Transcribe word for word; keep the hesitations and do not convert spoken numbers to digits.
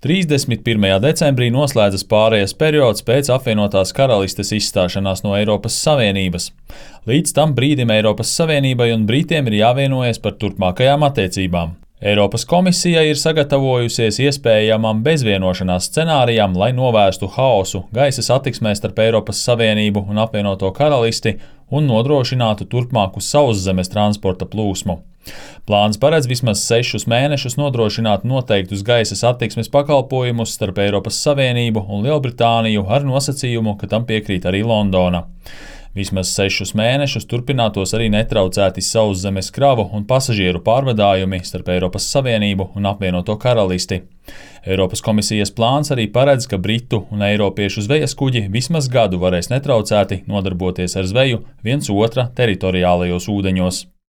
trīsdesmit pirmajā decembrī noslēdzas pārejas periods pēc apvienotās karalistes izstāšanās no Eiropas Savienības. Līdz tam brīdim Eiropas Savienībai un Britiem ir jāvienojas par turpmākajām attiecībām. Eiropas komisija ir sagatavojusies iespējamam bezvienošanās scenārijam, lai novērstu haosu gaisa satiksmē starp Eiropas Savienību un apvienoto karalisti un nodrošinātu turpmāku sauszemes transporta plūsmu. Plāns paredz vismaz sešus mēnešus nodrošināt noteiktus gaisa satiksmes pakalpojumus starp Eiropas Savienību un Lielbritāniju ar nosacījumu, ka tam piekrīt arī Londona. Vismaz sešus mēnešus turpinātos arī netraucēti sauszemes kravu un pasažieru pārvadājumi starp Eiropas Savienību un apvienoto karalisti. Eiropas komisijas plāns arī paredz, ka britu un eiropiešu zvejas kuģi vismaz gadu varēs netraucēti nodarboties ar zveju viens otra teritoriālajos ūdeņos.